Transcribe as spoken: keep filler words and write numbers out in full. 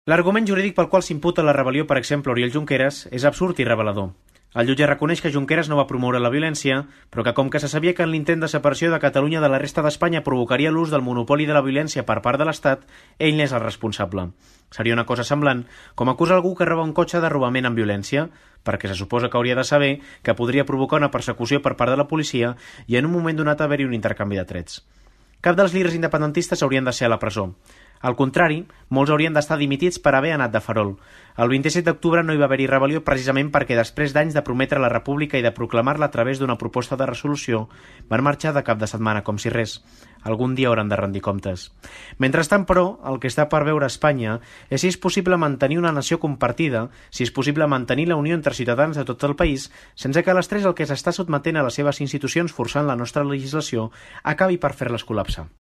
L'argument jurídic pel qual s'imputa la rebel·lió, per exemple, a Oriol Junqueras, és absurd i revelador. El jutge reconeix que Junqueras no va promoure la violència, però que com que se sabia que en l'intent de separació de Catalunya de la resta d'Espanya provocaria l'ús del monopoli de la violència per part de l'Estat, ell n'és el responsable. Seria una cosa semblant com acusar algú que roba un cotxe de robament amb violència, perquè se suposa que hauria de saber que podria provocar una persecució per part de la policia i en un moment donat haver-hi un intercanvi de trets. Cap dels líders independentistes haurien de ser a la presó. Al contrari, molts haurien d'estar dimitits per haver anat de farol. El vint-i-set d'octubre no hi va haver-hi rebel·lió precisament perquè després d'anys de prometre la república i de proclamar-la a través d'una proposta de resolució, van marxar de cap de setmana com si res. Algun dia hauran de rendir comptes. Mentrestant, però, el que està per veure a Espanya és si és possible mantenir una nació compartida, si és possible mantenir la unió entre ciutadans de tot el país, sense que l'estrès al que s'està sotmetent a les seves institucions forçant la nostra legislació acabi per fer-les col·lapsar.